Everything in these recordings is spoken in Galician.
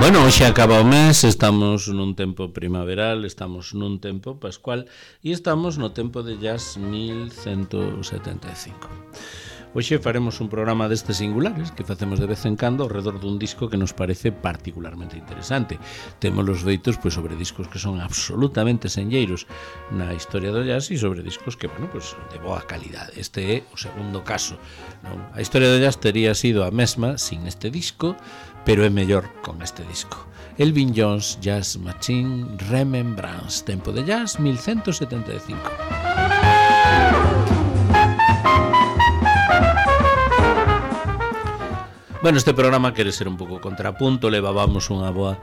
Bueno, hoxe acaba o mes, estamos nun tempo primaveral, estamos nun tempo pascual e estamos no tempo de jazz 1175. Hoxe faremos un programa destes singulares que facemos de vez en cando ao redor dun disco que nos parece particularmente interesante. Temos os feitos sobre discos que son absolutamente senlleiros na historia do jazz e sobre discos que, de boa calidade. Este é o segundo caso, non? A historia do jazz tería sido a mesma sin este disco, pero é mellor con este disco. Elvin Jones Jazz Machine Remembrance, tempo de jazz 1175. Bueno, este programa quere ser un pouco contrapunto, levábamos unha boa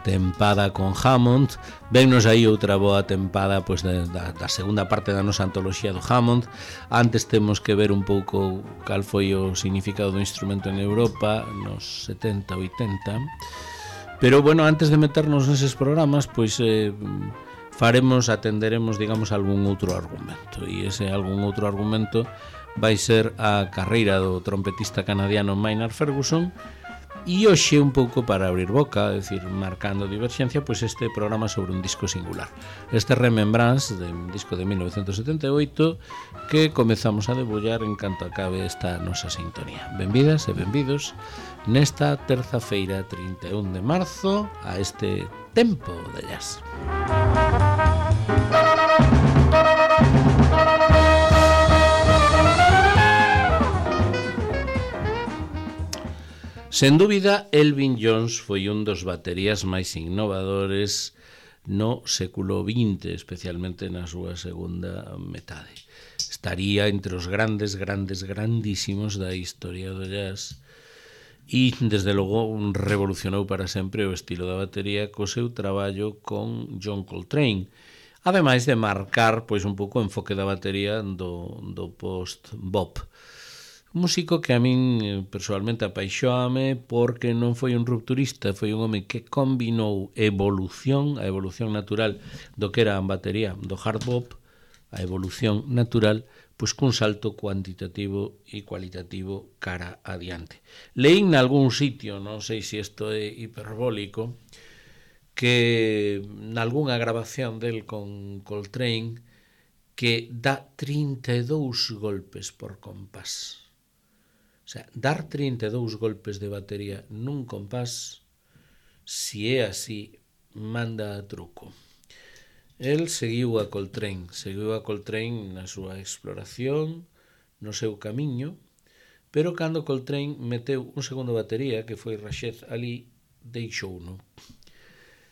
tempada con Hammond, vennos aí outra boa tempada da segunda parte da nosa antoloxía do Hammond. Antes temos que ver un pouco cal foi o significado do instrumento en Europa nos 70, 80. Pero bueno, antes de meternos neses programas, atenderemos, digamos, algún outro argumento, e ese algún outro argumento vai ser a carreira do trompetista canadiano Maynard Ferguson. E hoxe un pouco para abrir boca, é dicir, marcando diverxencia, este programa sobre un disco singular. Este Remembrance, de un disco de 1978, que comezamos a debullar en canto acabe esta nosa sintonía. Benvidas e benvidos nesta terza-feira 31 de marzo a este tempo de jazz. Sen dúbida, Elvin Jones foi un dos baterías máis innovadores no século XX, especialmente na súa segunda metade. Estaría entre os grandísimos da historia do jazz e, desde logo, revolucionou para sempre o estilo da batería co seu traballo con John Coltrane, ademais de marcar un pouco o enfoque da batería do post-bop. Un músico que a min personalmente apaixóame porque non foi un rupturista, foi un home que combinou a evolución natural do que era a batería do hard bop, a evolución natural, cun salto cuantitativo e cualitativo cara adiante. Leín nalgún sitio, non sei se isto é hiperbólico, que nalgúnha grabación del con Coltrane que dá 32 golpes por compás. O sea, dar 32 golpes de batería nun compás, si é así, manda a truco. El seguiu a Coltrane na súa exploración, no seu camiño, pero cando Coltrane meteu un segundo batería, que foi Rashed Ali, deixouno.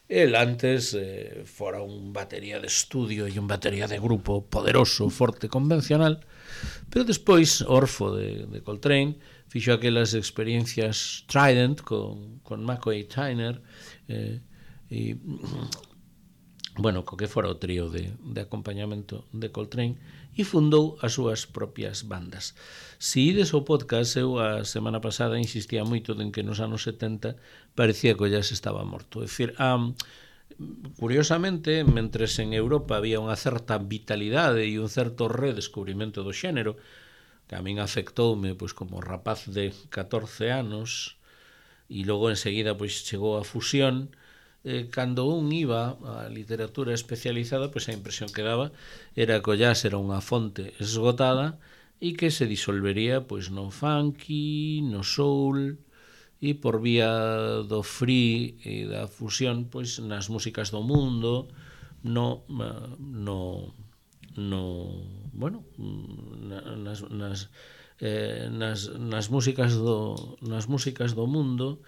El antes fora un batería de estudio e un batería de grupo poderoso, forte, convencional, pero despois, orfo de Coltrane, fixo aquelas experiencias Trident con McCoy Tyner co que fora o trío de acompañamento de Coltrane, e fundou as súas propias bandas. Se ides ao podcast, eu a semana pasada insistía moito en que nos anos 70 parecía que o jazz estaba morto. É dicir, curiosamente, mentres en Europa había unha certa vitalidade e un certo redescubrimento do xénero, que a min afectoume como rapaz de 14 anos, e logo enseguida chegou a fusión, cando un iba á literatura especializada, a impresión que daba era que o jazz era unha fonte esgotada e que se disolvería no funky, no soul e por vía do free e da fusión nas músicas do mundo, nas músicas do mundo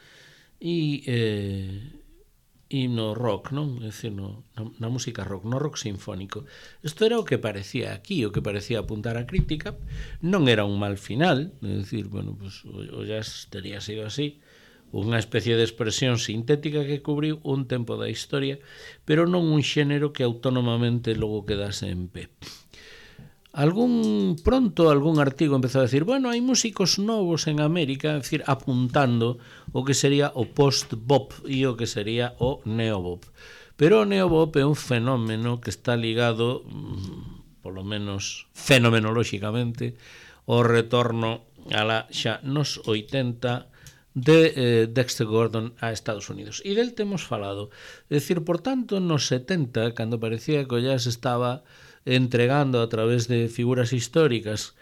e no rock, non? É dicir, na música rock, no rock sinfónico. Isto era o que parecía aquí, o que parecía apuntar a crítica. Non era un mal final, é dicir, o jazz tería sido así, unha especie de expresión sintética que cubriu un tempo da historia, pero non un xénero que autónomamente logo quedase en pé. Algún artigo empezou a decir, hai músicos novos en América, é dicir, apuntando o que sería o post-bop e o que sería o neo-bop. Pero o neo-bop é un fenómeno que está ligado, polo menos fenomenolóxicamente, ao retorno xa nos 80 de Dexter Gordon a Estados Unidos. E del temos falado. É dicir, por tanto, nos 70, cando parecía que o jazz estaba entregando a través de figuras históricas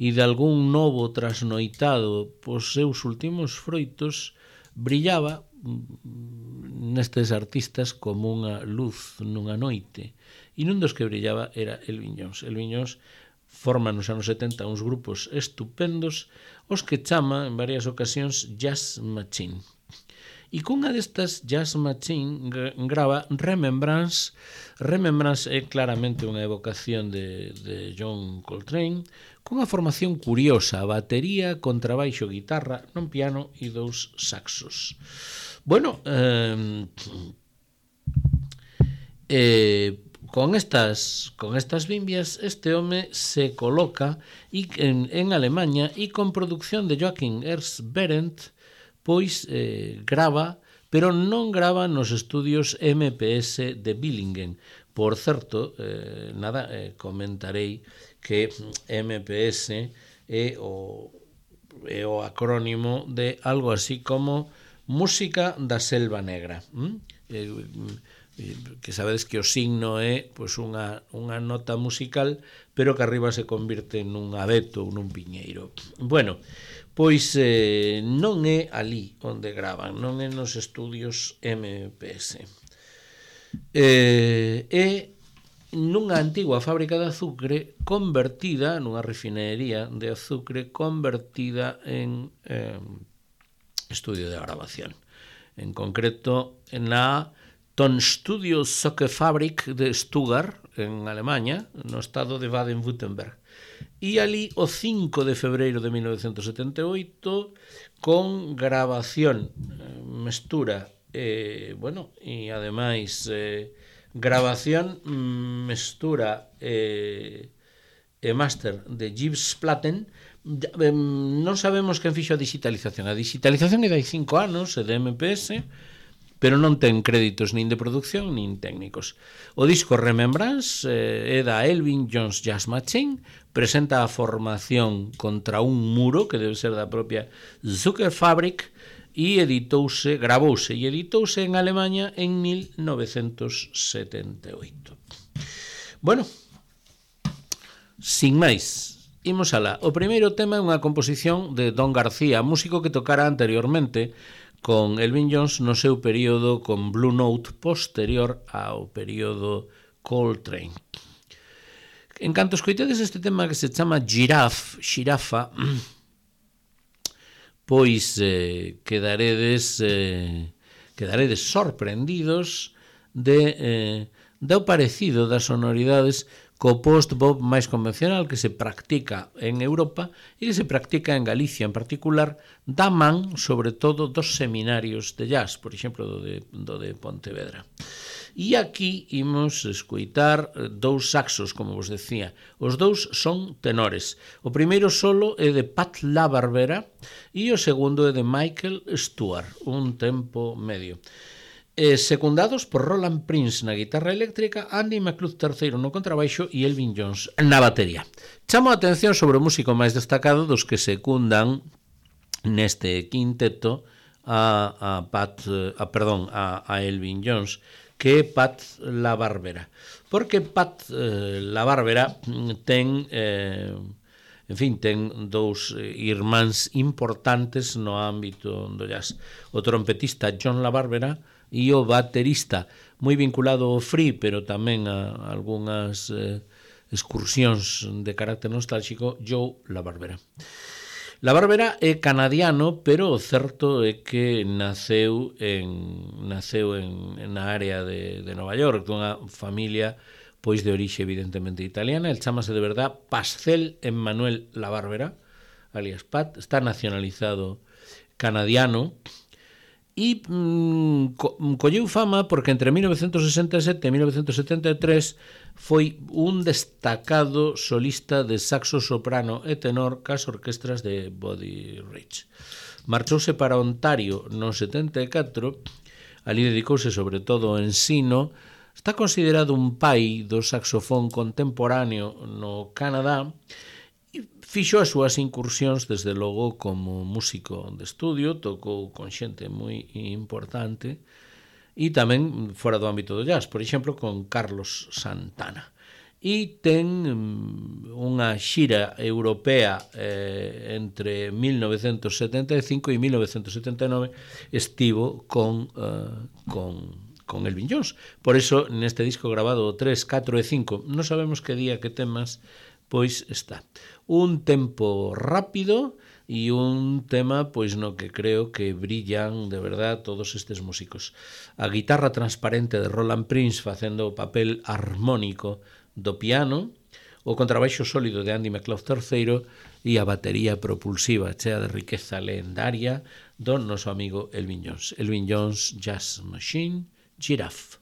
e de algún novo trasnoitado pos seus últimos froitos, brillaba nestes artistas como unha luz nunha noite. E nun dos que brillaba era Elvin Jones. Elvin Jones forma nos anos 70 uns grupos estupendos os que chama en varias ocasións Jazz Machine. E cunha destas Jazz Machine grava Remembrance. Remembrance é claramente unha evocación de John Coltrane, cunha formación curiosa, batería, contrabaixo, guitarra, non piano e 2 saxos. Bueno, con estas bimbias este home se coloca en Alemanha e con producción de Joachim Ernst Berendt pois grava, pero non grava nos estudios MPS de Billingen. Por certo, comentarei que MPS é o acrónimo de algo así como Música da Selva Negra. Que sabedes que o signo é pois unha nota musical, pero que arriba se convirte nun abeto ou nun piñeiro. Bueno, pois non é ali onde gravan, non é nos estudios MPS. É nunha antigua fábrica de azucre convertida, nunha refinería de azucre convertida en estudio de grabación. En concreto, na Tonstudio Socke-Fabrik de Stuttgart, en Alemanha, no estado de Baden-Württemberg. E ali, o 5 de febreiro de 1978, con grabación, mestura, e ademais grabación, mestura e máster de Yves Platten. Non sabemos quen fixo a digitalización. A digitalización é de 5 anos, é de MPS, pero non ten créditos nin de producción nin técnicos. O disco Remembrance é da Elvin Jones Jazz Machine, presenta a formación contra un muro que debe ser da propia Zuckerfabrik e gravouse e editouse en Alemanha en 1978. Bueno, sin máis, imos alá. O primeiro tema é unha composición de Don García, músico que tocara anteriormente con Elvin Jones no seu período con Blue Note posterior ao período Coltrane. En canto escoitedes este tema que se chama Xirafa, pois quedaredes sorprendidos do parecido das sonoridades co post-bop máis convencional que se practica en Europa e que se practica en Galicia en particular, da man, sobre todo, dos seminarios de jazz, por exemplo, do de Pontevedra. E aquí imos escoitar 2 saxos, como vos decía. Os 2 son tenores. O primeiro solo é de Pat LaBarbera e o segundo é de Michael Stewart, un tempo medio. Secundados por Roland Prince na guitarra eléctrica, Andy McLeod III no contrabaixo e Elvin Jones na batería. Chamo a atención sobre o músico máis destacado dos que secundan neste quinteto a Elvin Jones, que é Pat LaBarbera. Porque Pat LaBarbera ten dous irmáns importantes no ámbito do jazz. O trompetista John LaBarbera e o baterista, moi vinculado ao free, pero tamén a algunhas excursións de carácter nostálxico, Joe LaBarbera. LaBarbera é canadiano, pero o certo é que naceu na área de Nova York, dunha familia pois de orixe evidentemente italiana. El chámase de verdad Pascal Emmanuel LaBarbera, alias Pat, está nacionalizado canadiano, e colleu fama porque entre 1967 e 1973 foi un destacado solista de saxo soprano e tenor cas orquestras de Buddy Rich. Marchouse para Ontario no 74, ali dedicouse sobre todo ao ensino. Está considerado un pai do saxofón contemporáneo no Canadá e Fixo as súas incursións, desde logo, como músico de estudio, tocou con xente moi importante, e tamén fora do ámbito do jazz, por exemplo, con Carlos Santana. E ten unha xira europea entre 1975 e 1979, estivo con Elvin Jones. Por eso, neste disco grabado 3, 4 e 5, non sabemos que día, que temas, pois está. Un tempo rápido e un tema pois no que creo que brillan de verdad todos estes músicos. A guitarra transparente de Roland Prince facendo o papel armónico do piano, o contrabaixo sólido de Andy McLeod III e a batería propulsiva chea de riqueza legendaria do noso amigo Elvin Jones. Elvin Jones Jazz Machine, Giraffe.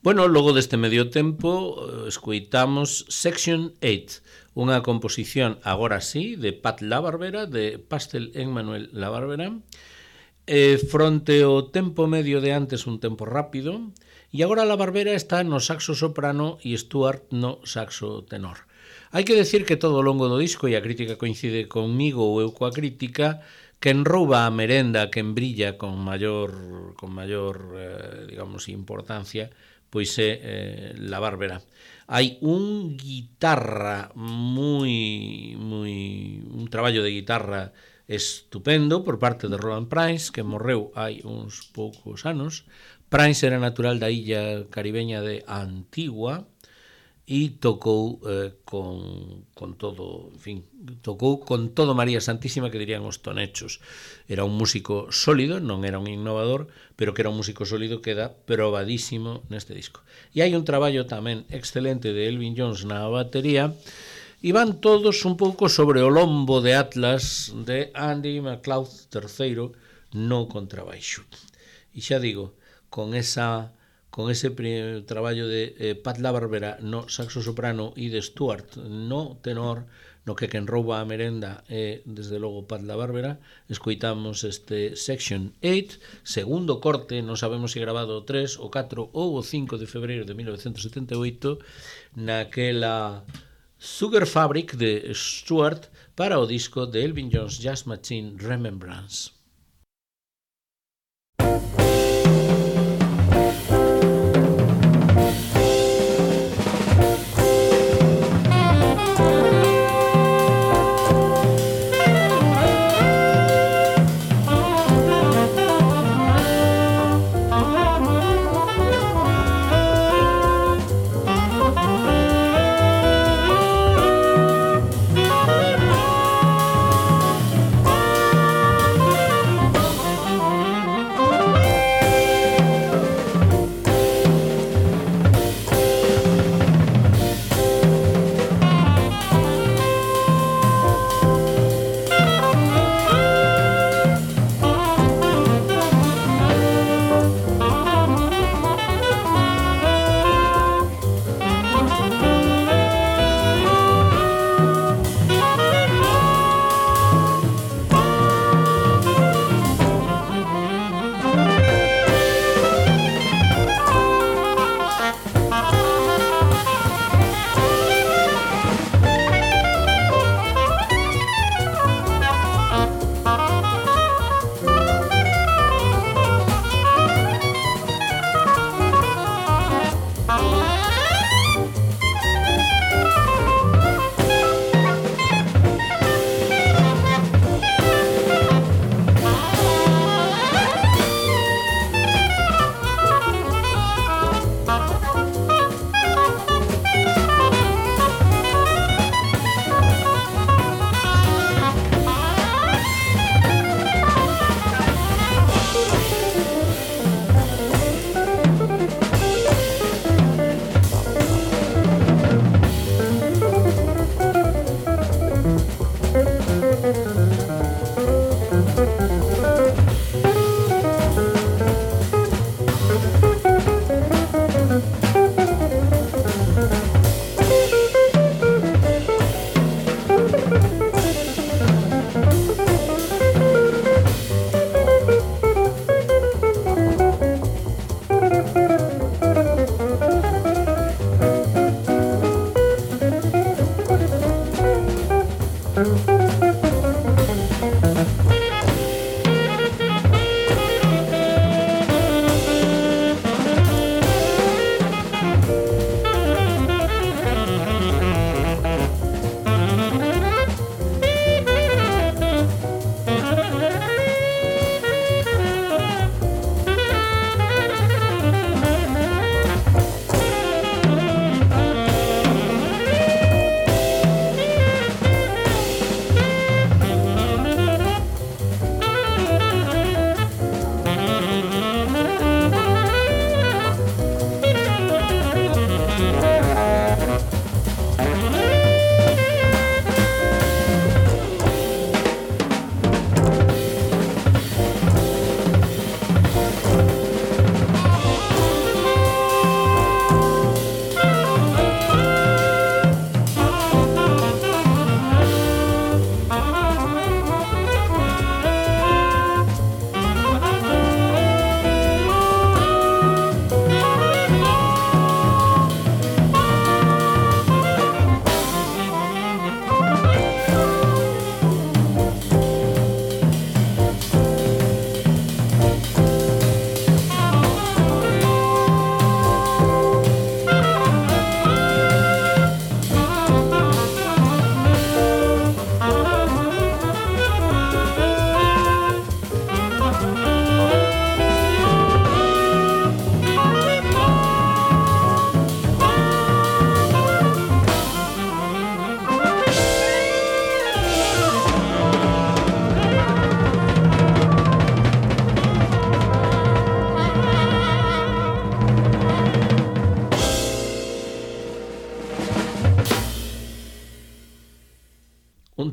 Bueno, logo deste medio tempo escoitamos Section 8, unha composición agora sí de Pat LaBarbera, de Pastel en Manuel LaBarbera, fronte ao tempo medio de antes un tempo rápido, e agora LaBarbera está no saxo soprano e Stuart no saxo tenor. Hai que decir que todo o longo do disco, e a crítica coincide conmigo ou eu coa crítica, quen rouba a merenda, quen brilla con maior digamos, importancia, pois é LaBarbera. Hai un traballo de guitarra estupendo por parte de Roland Prince, que morreu hai uns poucos anos. Prince era natural da illa caribeña de Antigua e tocou con todo, en fin, tocou con todo María Santísima, que dirían os tonechos. Era un músico sólido, non era un innovador, pero que era un músico sólido, queda probadísimo neste disco. E hai un traballo tamén excelente de Elvin Jones na batería, e van todos un pouco sobre o lombo de Atlas de Andy McLeod III no contrabaixo. E xa digo, con ese traballo de Pat LaBarbera no saxo soprano e de Stuart no tenor, no que quen rouba a merenda é, desde logo, Pat LaBarbera, escoitamos este Section 8, segundo corte, non sabemos se grabado o 3, o 4 ou o 5 de febreiro de 1978, naquela Sugar Fabric de Stuart para o disco de Elvin Jones Jazz Machine Remembrance.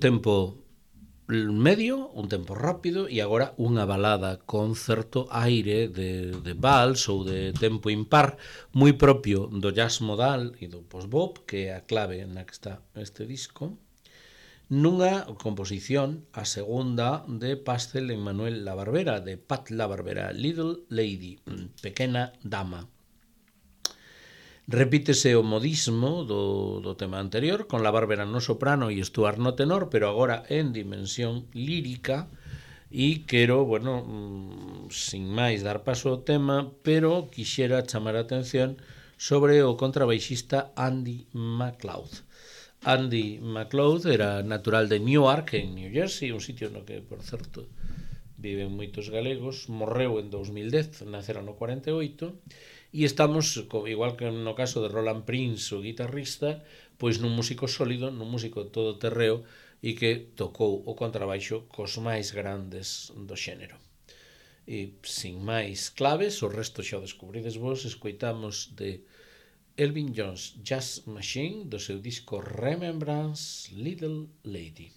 tempo medio, un tempo rápido e agora unha balada con certo aire de vals ou de tempo impar moi propio do jazz modal e do post-bop, que é a clave na que está este disco, nunha composición, a segunda de Pastel en Manuel La Barbera, de Pat La Barbera, Little Lady, pequena dama. Repítese o modismo do tema anterior, con La Barbera no soprano e Stuart no tenor, pero agora en dimensión lírica, e quero, bueno, sin máis dar paso ao tema, pero quixera chamar a atención sobre o contrabaixista Andy McLeod. Andy McLeod era natural de Newark, en New Jersey, un sitio no que, por certo, viven moitos galegos, morreu en 2010, nacera no 48, e estamos, igual que no caso de Roland Prince, o guitarrista, pois nun músico sólido, nun músico todoterreo e que tocou o contrabaixo cos máis grandes do xénero. E sin máis claves, o resto xa o descubrides vos, escoitamos de Elvin Jones Jazz Machine do seu disco Remembrance, Little Lady.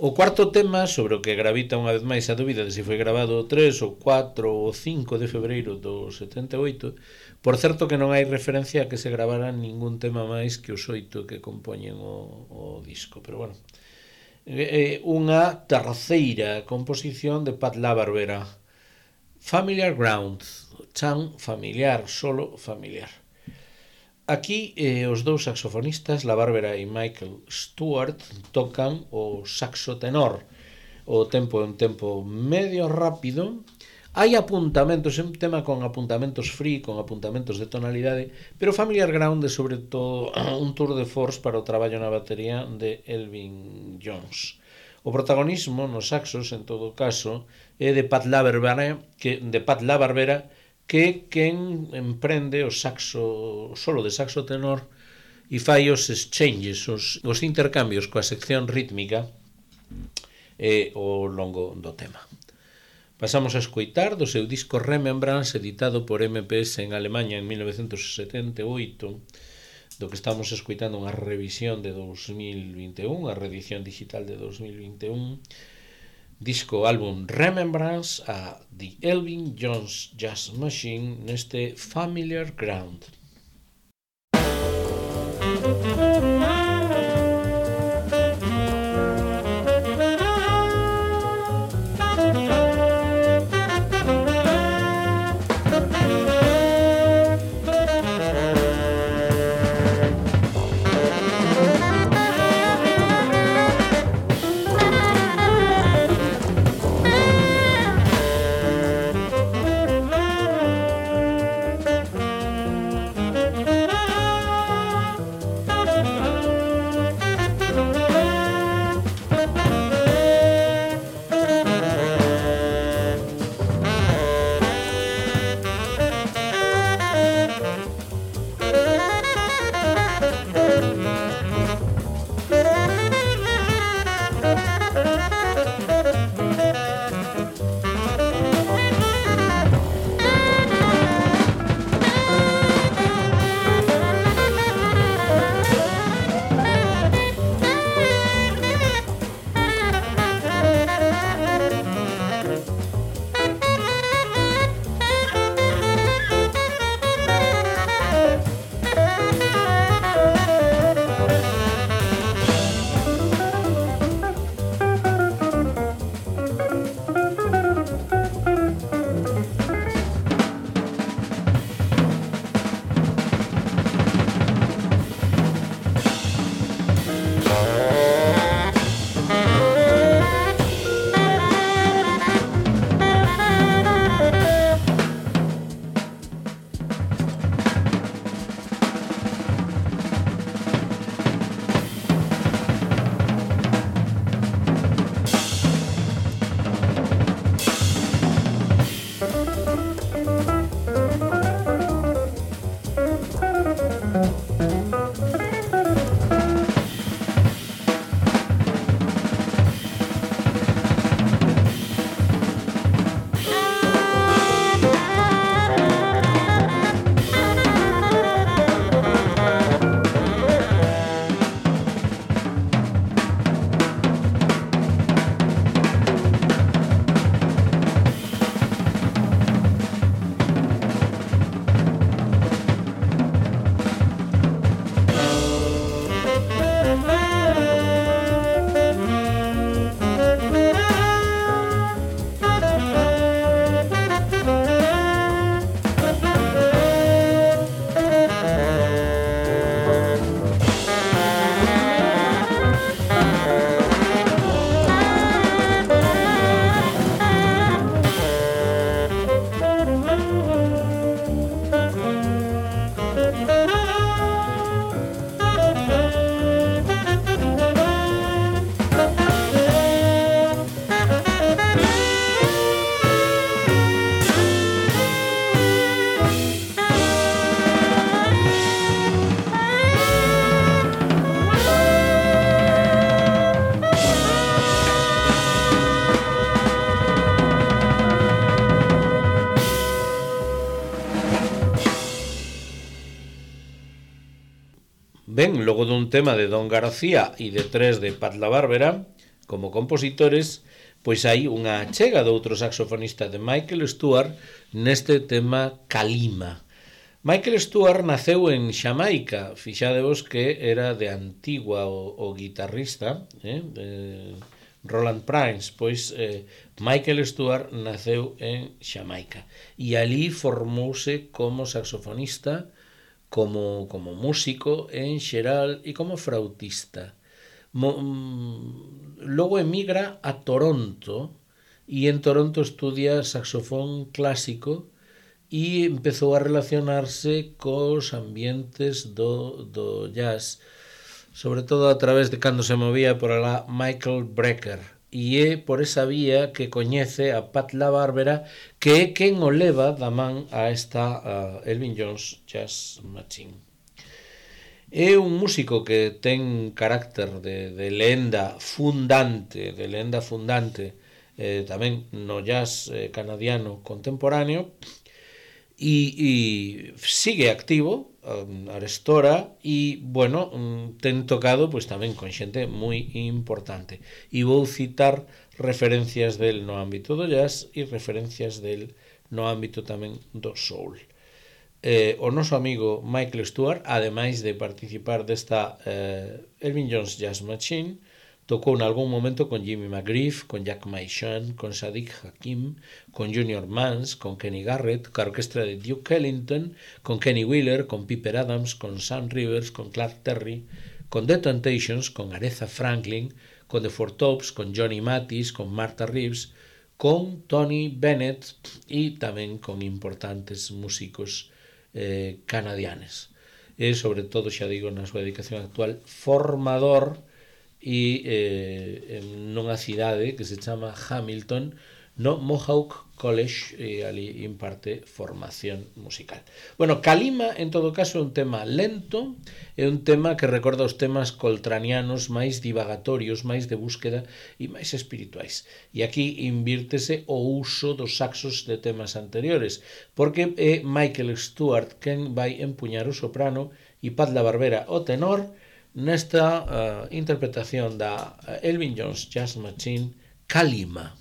O cuarto tema, sobre o que gravita unha vez máis a dúbida de se foi grabado o 3, o 4 ou o 5 de febreiro do 78, por certo que non hai referencia a que se gravara ningún tema máis que os 8 que compoñen o disco, pero bueno. Unha terceira composición de Pat LaBarbera, Familiar Ground, chan familiar, solo familiar. Aquí os dous saxofonistas, LaBarbera e Michael Stewart, tocan o saxo tenor. O tempo é un tempo medio rápido. Hai apuntamentos, é un tema con apuntamentos free, con apuntamentos de tonalidade, pero Familiar Ground é sobre todo un tour de force para o traballo na batería de Elvin Jones. O protagonismo nos saxos, en todo caso, é de Pat LaBarbera, que quen emprende o solo de saxo tenor e fai os exchanges, os intercambios coa sección rítmica ao longo do tema. Pasamos a escoitar do seu disco Remembrance, editado por MPS en Alemanha en 1978, do que estamos escoitando unha revisión de 2021, a reedición digital de 2021, disco álbum Remembrance a The Elvin Jones Jazz Machine neste Familiar Ground. Ben, logo dun tema de Don García e de 3 de Pat LaBarbera, como compositores, pois hai unha chega do outro saxofonista de Michael Stuart neste tema Kalima. Michael Stuart naceu en Xamaica, fixadevos que era de Antigua o guitarrista, Roland Prince, pois Michael Stuart naceu en Xamaica e ali formouse como saxofonista, como músico en xeral e como flautista. Logo emigra a Toronto e en Toronto estudia saxofón clásico e empezou a relacionarse cos ambientes do jazz, sobre todo a través de cando se movía por alá Michael Brecker, e é por esa vía que coñece a Pat LaBarbera, que é quen o leva da man a esta Elvin Jones Jazz Machine. É un músico que ten carácter de lenda fundante, tamén no jazz canadiano contemporáneo, e sigue activo arestora e, bueno, ten tocado pois tamén con xente moi importante. E vou citar referencias del no ámbito do jazz e referencias del no ámbito tamén do soul. O noso amigo Michael Stuart, ademais de participar desta Elvin Jones Jazz Machine, tocou en algún momento con Jimmy McGriff, con Jack Maishan, con Sadiq Hakim, con Junior Mans, con Kenny Garrett, con a orquestra de Duke Ellington, con Kenny Wheeler, con Piper Adams, con Sam Rivers, con Clark Terry, con The Temptations, con Aretha Franklin, con The Four Tops, con Johnny Mathis, con Martha Reeves, con Tony Bennett e tamén con importantes músicos canadianes. E sobre todo, xa digo, na súa dedicación actual, formador e nunha cidade que se chama Hamilton, no Mohawk College, e ali imparte formación musical. Bueno, Kalima, en todo caso, é un tema lento, é un tema que recorda os temas coltranianos máis divagatorios, máis de búsqueda e máis espirituais. E aquí invírtese o uso dos saxos de temas anteriores, porque é Michael Stuart quen vai empuñar o soprano e Pat LaBarbera o tenor nesta interpretación da Elvin Jones Jazz Machine, Kalima.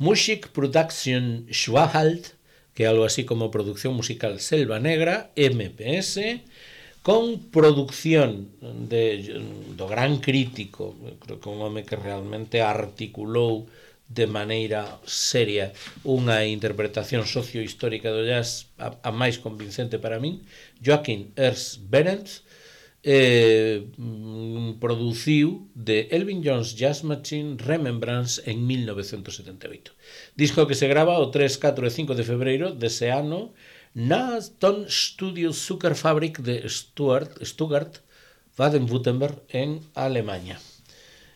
Music Production Schwahalt, que é algo así como Producción Musical Selva Negra, MPS, con producción do gran crítico, creo que un home que realmente articulou de maneira seria unha interpretación sociohistórica do jazz a máis convincente para min, Joachim Ernst Behrens, produciu de Elvin Jones Jazz Machine Remembrance en 1978. Disco que se grava o 3, 4 e 5 de febreiro dese ano na Tonstudio Zuckerfabrik de Stuttgart, Baden-Württemberg, en Alemanha.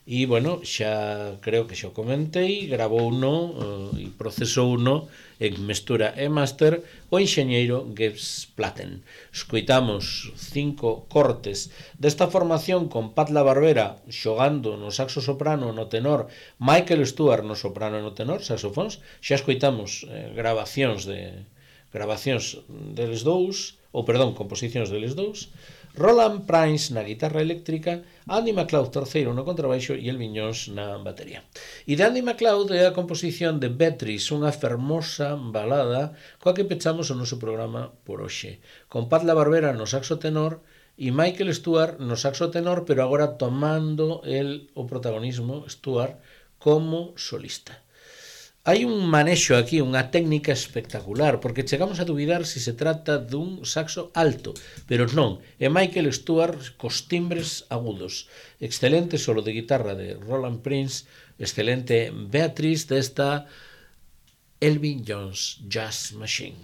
E, bueno, xa creo que xa o comentei, gravou uno e procesou uno en mestura e máster o enxeñeiro Gibbs Platten. Escoitamos 5 cortes desta formación con Pat LaBarbera xogando no saxo soprano no tenor, Michael Stewart no soprano e no tenor, saxofóns. Xa escoitamos grabacións deles dous, composicións deles dous, Roland Prince na guitarra eléctrica, Andy MacLeod terceiro no contrabaixo e Elvin Jones na batería. E de Andy MacLeod é a composición de Beatrice, unha fermosa balada coa que pechamos o noso programa por hoxe, con Pat LaBarbera no saxo tenor e Michael Stewart no saxo tenor, pero agora tomando o protagonismo, Stewart, como solista. Hai un manexo aquí, unha técnica espectacular, porque chegamos a dubidar se trata dun saxo alto, pero non, é Michael Stewart cos timbres agudos. Excelente solo de guitarra de Roland Prince, excelente Beatrice desta Elvin Jones Jazz Machine.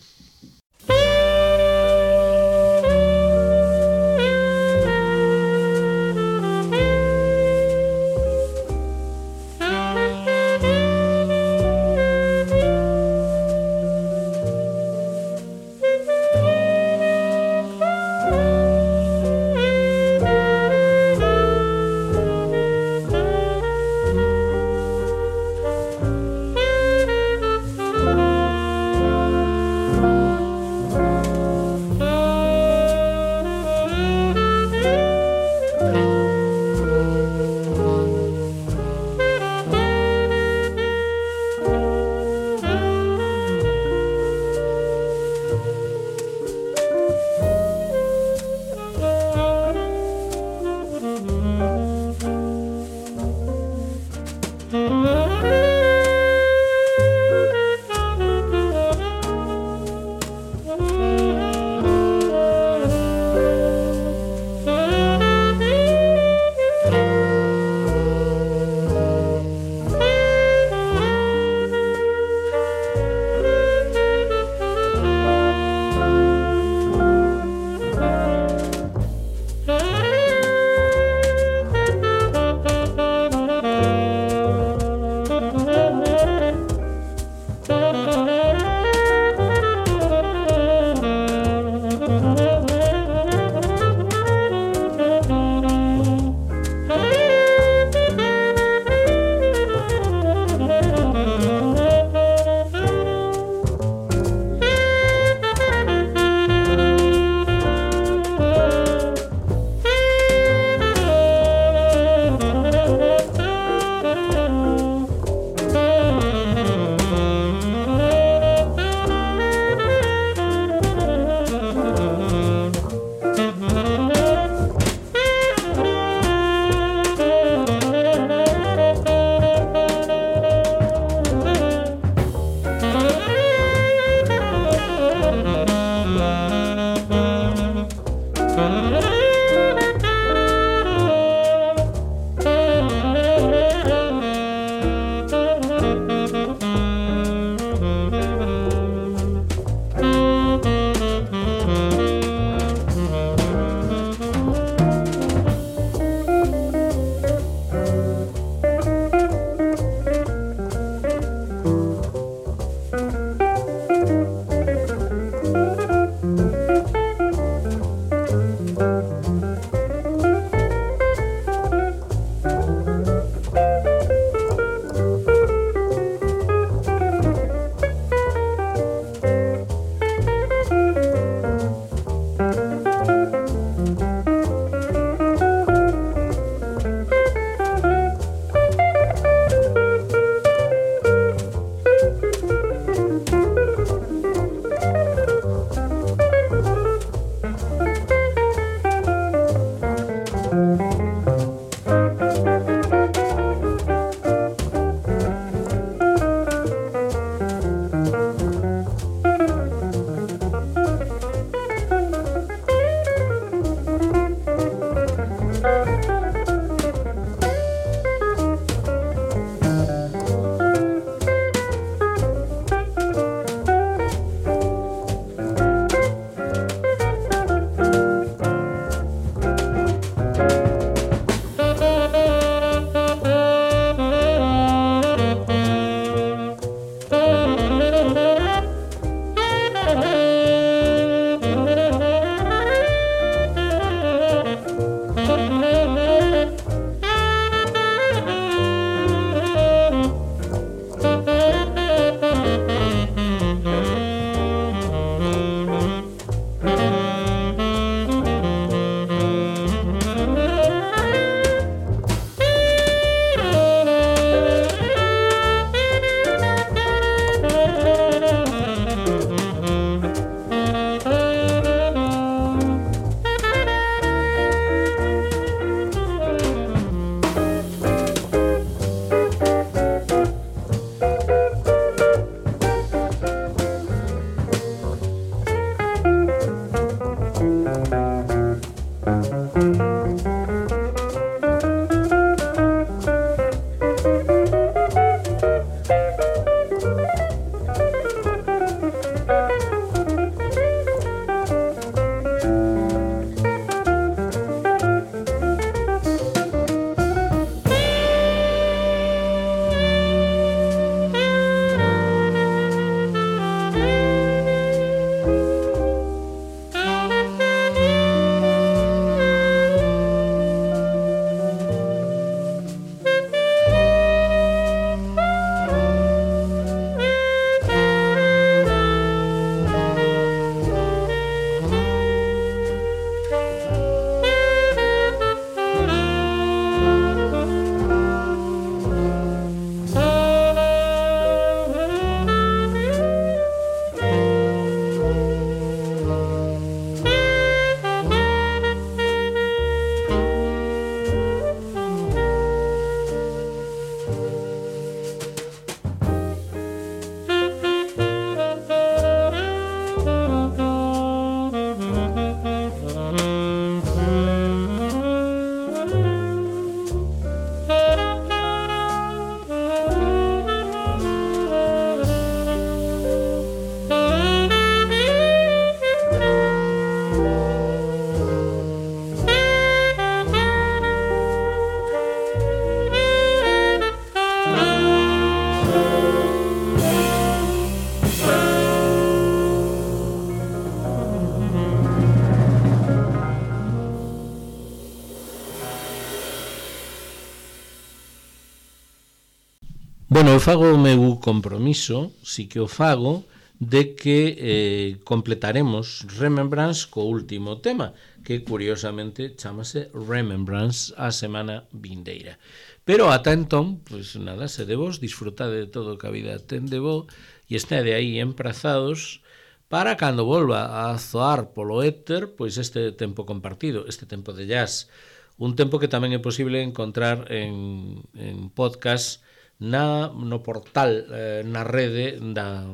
Bueno, eu fago o meu compromiso, si que o fago, de que completaremos Remembrance co último tema, que curiosamente chamase Remembrance a semana vindeira. Pero ata entón, pois nada, se de vos, disfrutade de todo o que a vida ten de bo e estade aí emprazados para cando volva a zoar polo éter, pois este tempo compartido, este tempo de jazz, un tempo que tamén é posible encontrar en podcast no portal, na rede da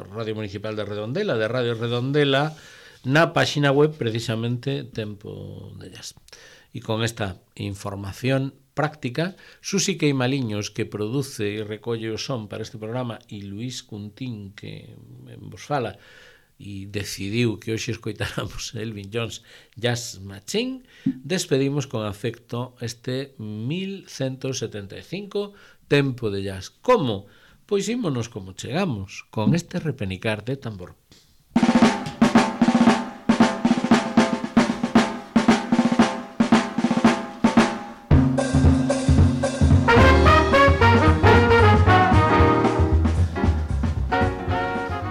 Radio Municipal de Redondela, de Radio Redondela, na páxina web precisamente Tempo de Jazz. E con esta información práctica, Susi Queimaliños, que produce e recolle o son para este programa, e Luís Cuntín, que vos fala, e decidiu que hoxe escoitáramos Elvin Jones Jazz Machine, despedimos con afecto este 1175 Tempo de Jazz. Como? Pois ímonos como chegamos, con este repenicar de tambor.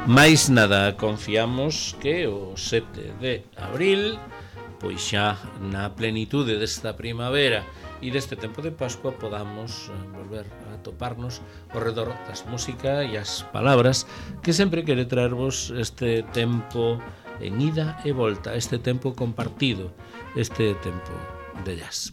Mais nada, confiamos que o 7 de abril, pois xa na plenitude desta primavera e deste tempo de Pascua, podamos volver a toparnos ao redor das música e as palabras que sempre quere traervos este tempo en ida e volta, este tempo compartido, este tempo de jazz.